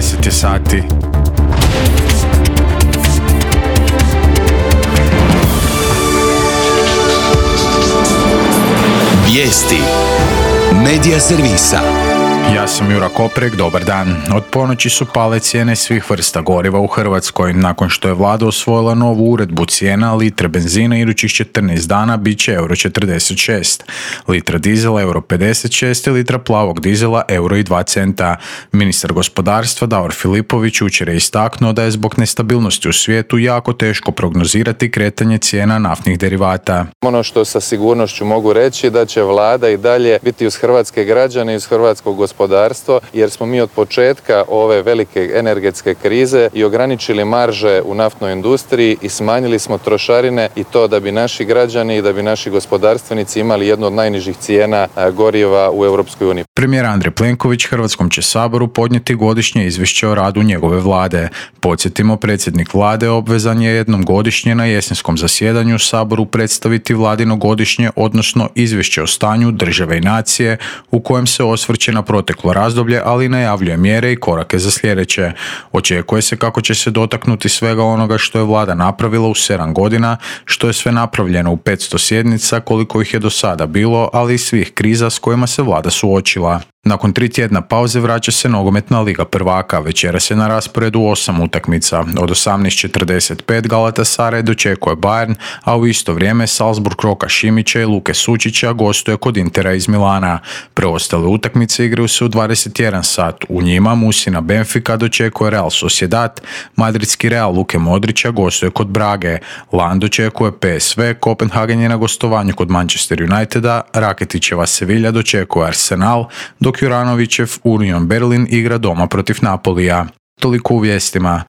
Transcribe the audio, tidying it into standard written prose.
10 je sati. Vijesti Medija servisa. Ja sam Jura Koprek, dobar dan. Od ponoći su pale cijene svih vrsta goriva u Hrvatskoj. Nakon što je vlada usvojila novu uredbu, cijena litre benzina idućih 14 dana bit će euro 46, litra dizela euro 56 i litra plavog dizela euro i 2 centa. Ministar gospodarstva Davor Filipović jučer je istaknuo da je zbog nestabilnosti u svijetu jako teško prognozirati kretanje cijena naftnih derivata. Ono što sa sigurnošću mogu reći da će vlada i dalje biti uz hrvatske građane i uz hrvatskog gospodarstvo, jer smo mi od početka ove velike energetske krize i ograničili marže u naftnoj industriji i smanjili smo trošarine, i to da bi naši građani i da bi naši gospodarstvenici imali jednu od najnižih cijena goriva u Europskoj uniji. Premijer Andrej Plenković Hrvatskom će saboru podnijeti godišnje izvješće o radu njegove vlade. Podsjetimo, predsjednik vlade obvezan je jednom godišnje na jesenskom zasjedanju saboru predstaviti vladino godišnje, odnosno izvješće o stanju države i nacije, u kojem se osvrće na proteklo razdoblje, ali najavljuje mjere i korake za sljedeće. Očekuje se kako će se dotaknuti svega onoga što je vlada napravila u 7 godina, što je sve napravljeno u 500 sjednica, koliko ih je do sada bilo, ali i svih kriza s kojima se vlada suočila. Nakon 3 tjedna pauze vraća se nogometna Liga prvaka. Večeras je na rasporedu 8 utakmica. Od 18:45 Galatasaray dočekuje Bayern, a u isto vrijeme Salzburg Roka Šimića i Luke Sučića gostuje kod Intera iz Milana. Preostale utakmice igraju se u 21 sat. U njima Musina Benfica dočekuje Real Sociedad, madridski Real Luke Modrića gostuje kod Brage, Lan dočekuje PSV, Kopenhagen je na gostovanju kod Manchester Uniteda, Raketićeva Sevilla dočekuje Arsenal, dok Juranovićev Union Berlin igra doma protiv Napolija. Toliko u vijestima.